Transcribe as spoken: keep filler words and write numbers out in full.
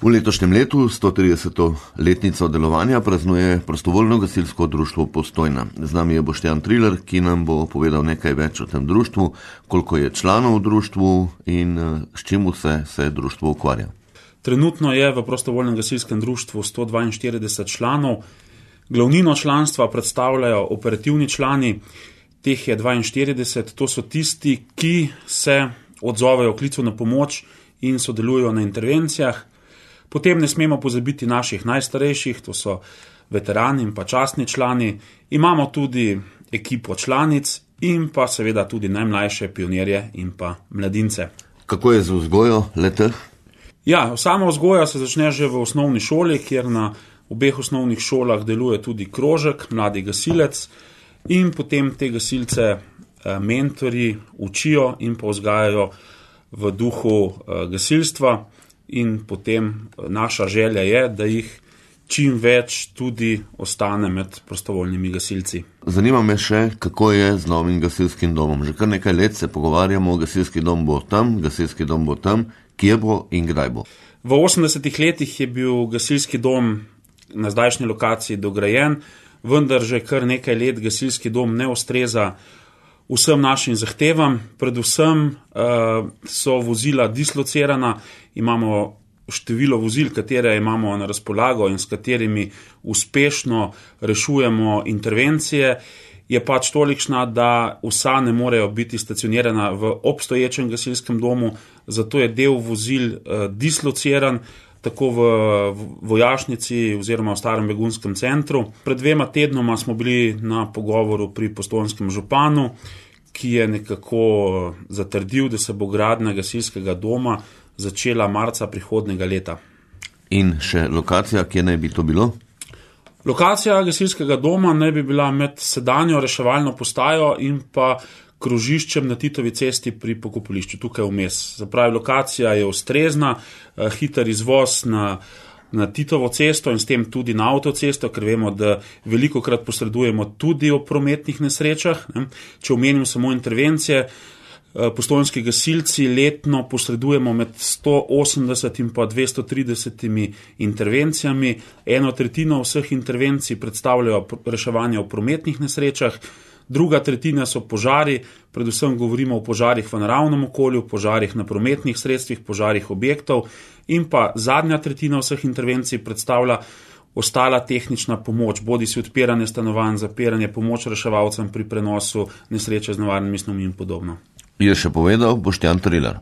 V letošnjem letu sto trideseto letnico delovanja praznuje Prostovoljno gasilsko društvo Postojna. Z nami je Boštjan Trilar, ki nam bo povedal nekaj več o tem društvu, koliko je članov v društvu in s čim vse se društvo ukvarja. Trenutno je v Prostovoljnem gasilskem društvu sto dvainštirideset članov. Glavnino članstva predstavljajo operativni člani, teh je dvainštirideset, to so tisti, ki se odzovejo klicu na pomoč in sodelujo na intervencijah. Potem ne smemo pozabiti naših najstarejših, to so veterani in pa častni člani. Imamo tudi ekipo članic in pa seveda tudi najmlajše pionirje in pa mladince. Kako je z vzgojo leteh? Ja, sama vzgoja se začne že v osnovni šoli, kjer na obeh osnovnih šolah deluje tudi krožek, mladi gasilec, in potem te gasilce mentorji učijo in pa vzgajajo v duhu gasilstva. In potem naša želja je, da jih čim več tudi ostane med prostovoljnimi gasilci. Zanima me še, kako je z novim gasilskim domom. Že kar nekaj let se pogovarjamo, gasilski dom bo tam, gasilski dom bo tam, kje bo in kdaj bo. V osemdesetih letih je bil gasilski dom na zdajšnji lokaciji dograjen, vendar že kar nekaj let gasilski dom ne ustreza vsem našim zahtevam. Predvsem uh, so vozila dislocirana, imamo število vozil, katere imamo na razpolago in s katerimi uspešno rešujemo intervencije, je pač tolikšna, da vsa ne morejo biti stacionirana v obstoječem gasilskem domu, zato je del vozil uh, dislociran, tako v vojašnici oziroma v starem begunskem centru. Pred dvema tednoma smo bili na pogovoru pri postojnskem županu, ki je nekako zatrdil, da se bo gradnja gasilskega doma začela marca prihodnjega leta. In še lokacija, kje naj bi to bilo? Lokacija gasilskega doma naj bi bila med sedanjo reševalno postajo in pa krožiščem na Titovi cesti pri pokopališču, tukaj vmes. Zapravi, lokacija je ustrezna, hiter izvoz na, na Titovo cesto in s tem tudi na avtocesto, ker vemo, da velikokrat posredujemo tudi o prometnih nesrečah. Ne. Če omenim samo intervencije, postojnski gasilci letno posredujemo med sto osemdeset in pa dvesto trideset intervencijami. Eno tretjino vseh intervencij predstavljajo reševanje o prometnih nesrečah, druga tretjina so požari, predvsem govorimo o požarih v naravnem okolju, požarih na prometnih sredstvih, požarih objektov, in pa zadnja tretjina vseh intervencij predstavlja ostala tehnična pomoč, bodi si odpiranje stanovanj, zapiranje, pomoč reševalcem pri prenosu nesreče z nevarnimi snovmi in podobno. Je še povedal Boštjan Trilar.